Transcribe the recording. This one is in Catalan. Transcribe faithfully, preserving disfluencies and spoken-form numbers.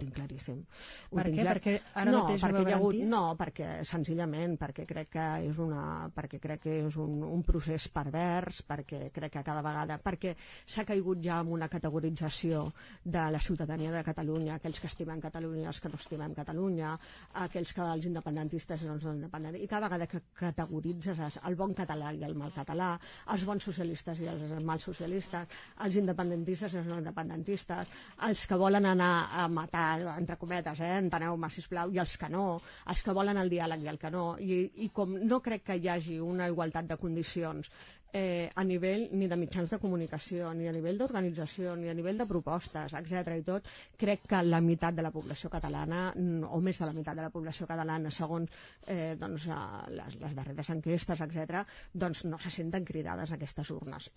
tinc claríssim. Ho Per tinc què? clar... Perquè ara no, mateix perquè ho hi ha hagut... garantís? No, perquè senzillament perquè crec que és, una... perquè crec que és un, un procés pervers, perquè crec que cada vegada... perquè s'ha caigut ja en una categorització de la ciutadania de Catalunya, aquells que estimen Catalunya, els que no estimen Catalunya, aquells que els independentistes i els no independentistes, i cada vegada que categoritzes el bon català i el mal català, els bons socialistes i els mals socialistes, els independentistes i els no independentistes, els que volen anar a matar, entre cometes, eh, enteneu-me, sisplau, i els que no, els que volen el diàleg i el que no, i, i com no crec que hi hagi una igualtat de condicions eh, a nivell ni de mitjans de comunicació, ni a nivell d'organització, ni a nivell de propostes, etcètera i tot, crec que la meitat de la població catalana, o més de la meitat de la població catalana, segons eh, doncs, les, les darreres enquestes, etcètera, doncs no se senten cridades a aquestes urnes.